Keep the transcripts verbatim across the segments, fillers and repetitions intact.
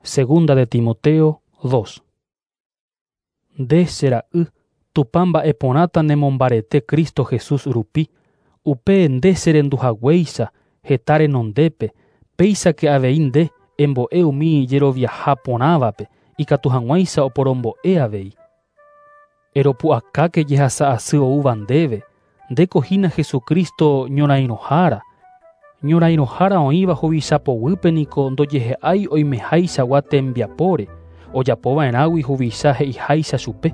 Segunda de Timoteo dos. Nde che ra'y, Tupã mba'eporãta nemombarete Cristo Jesús rupi, upe nde cherenduhaguéicha heta renondépe, péichake avei nde embo'e umi jeroviaha porãvape ikatu hag̃uáicha oporombo'e avei. Eropu'akáke jehasa asy oúva ndéve, ndéko hína Jesucristo ñorairõhára. Ñorairõhára oĩva huvichapoguýpe niko ndojehe'ái oimehaichagua tembiapóre, ojapova'erãgui huvicha he'iháicha chupe.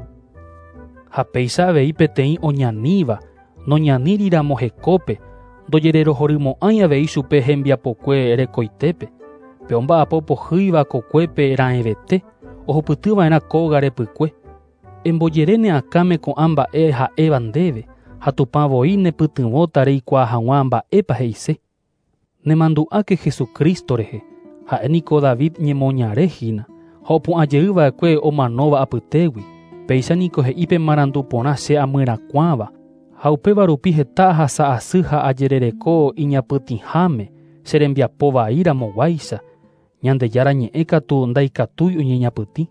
Ha péicha avei peteĩ oñaníva, noñaníriramo hekópe, ndojererohorymo'ãi avei chupe hembiapokue rekoitépe. Pe omba'apo pohýiva kokuépe raẽvete, ohupytyva'erã kóga repykue. Embojere ne akãme ko'ã mba'e ha'éva ndéve, ha Tupã voi nepytyvõta reikuaa hag̃ua mba'épa he'ise. Nemandu'áke Jesucristo rehe, ha'e niko David ñemoñare hína, ha opu'ãjeyva'ekue omanóva apytégui. Péicha niko he'i pe marandu porã che amyrakuãva, ha upéva rupi heta ahasa asy ha ajerereko iñapytĩháme che rembiapo vaíramoguáicha, Ñandejára ñe'ẽ katu ndaikatúi oñeñapytĩ.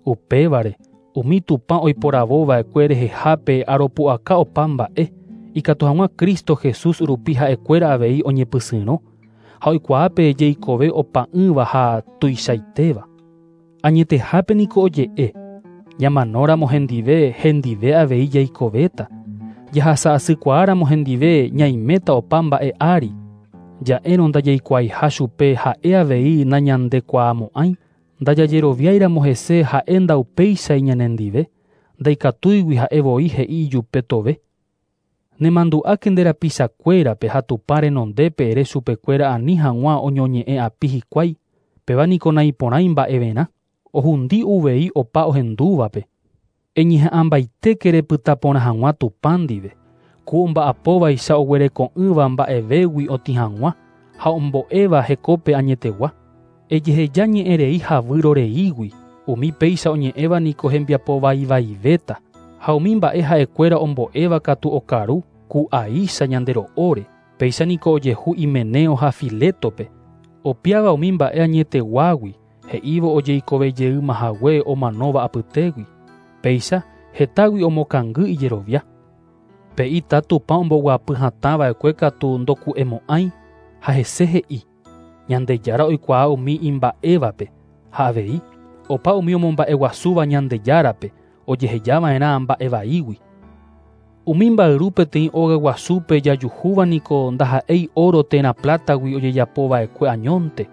Upévare, umi Tupã oiporavóva'ekue rehehápe aropu'aka opa mba'e, ikatu hag̃ua Cristo Jesús rupi ha'ekuéra avei oñepysyrõ, ha oikuaápe jeikove opa'ỹva ha tuichaitéva. Añetehápe niko oje'e, ñamanóramo hendive, hendive avei jaikovéta. Jahasa asykuaáramo hendive ñaiméta opa mba'e ári. Ja'érõ ndajaikuaaiha chupe ha'e avei nañandekuaamo'ãi, ndajajeroviáiramo hese ha'e ndaupéichai ñanendive, ndaikatúigui ha'e voi he'i ijupe tove. Nemandu'áke nde rapichakuérape ha Tupã renondépe ere chupekuéra ani hag̃ua oñoñe'ẽ api hikuái, péva niko naiporãi mba'everã, ohundi uvei opa ohendúvape. Eñeha'ãmbaitéke repyta porã hag̃ua Tupã ndive, ku omba'apóvaicha oguereko'ỹva mba'evégui otĩ hag̃ua ha ombo'éva hekópe añetegua. Ejeheja ñe'ẽrei ha vyroreígui, umi péicha oñe'ẽva niko hembiapovaivaivéta, ha umi mba'e ha'ekuéra ombo'éva katu okaru ku aícha ñande ro'óre. Péicha niko ojehu Himeneo ha Filetope, opiáva umi mba'e añeteguágui, he'ívo ojeikovejeýmahague omanóva apytégui. Péicha hetágui omokangy ijerovia. Pe ita Tupã omboguapy hatãva'ekue katu ndoku'emo'ãi, ha hese he'i, Ñandejára oikuaa umi imba'évape, ha avei opa umi omomba'eguasúva Ñandejárape ojehejava'erã mba'evaígui. Umi mba'yru peteĩ óga guasúpe jajuhúva niko ndaha'éi oro térã plátagui ojejapova'ekue añónte.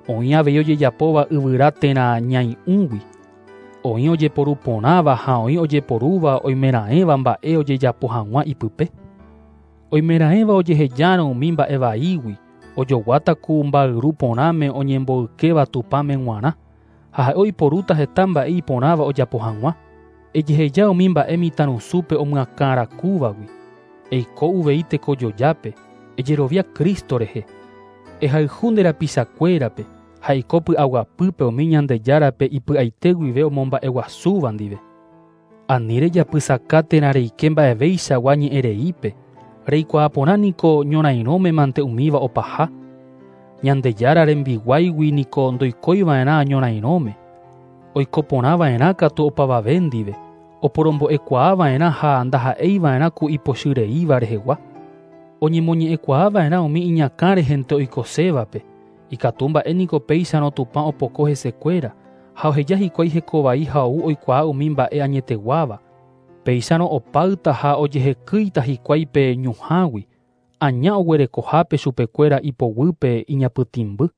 Oĩ avei ojejapóva yvyra térã ñai'ũgui. Oĩ ojeporu porãva ha oĩ ojeporúva oimeraẽva mba'e ojejapo hag̃ua ipype. Oimeraẽva ojehejárõ umi mba'evaígui, ojoguáta ku mba'yru porãme oñemboykéva Tupãme g̃uarã, ha ha'e oiporúta heta mba'e iporãva ojapo hag̃ua. Ejeheja umi mba'e mitãrusúpe omyakãrakúvagui. Eiko uvei tekojojápe, ejerovia Cristo rehe. Ehayhu nde rapichakuérape, ha eiko py'aguapýpe umi Ñandejárape ipy'aite guive omomba'eguasúva ndive. Ani rejapysaka térã reike mba'evéichagua ñe'ẽreípe, reikuaa porã niko ñorairõme mante umíva opaha. Ñandejára rembiguáigui niko ndoikóiva'erã ñorairõme, oiko porãva'erã katu opavave ndive, oporombo'ekuaava'erã ha ndaha'eiva'erã ku ipochyreíva rehegua. Oñemoñe'ẽkuaava'erã umi iñakã rehente oikosévape, ikatu mba'e niko péicharõ Tupã opoko hesekuéra, ha oheja hikuái hekovai ha ou oikuaa umi mba'e añeteguáva. Péicharõ opáyta ha ojehekýita hikuái pe ñuhãgui, aña oguerekohápe chupekuéra ipoguýpe iñapytĩmby.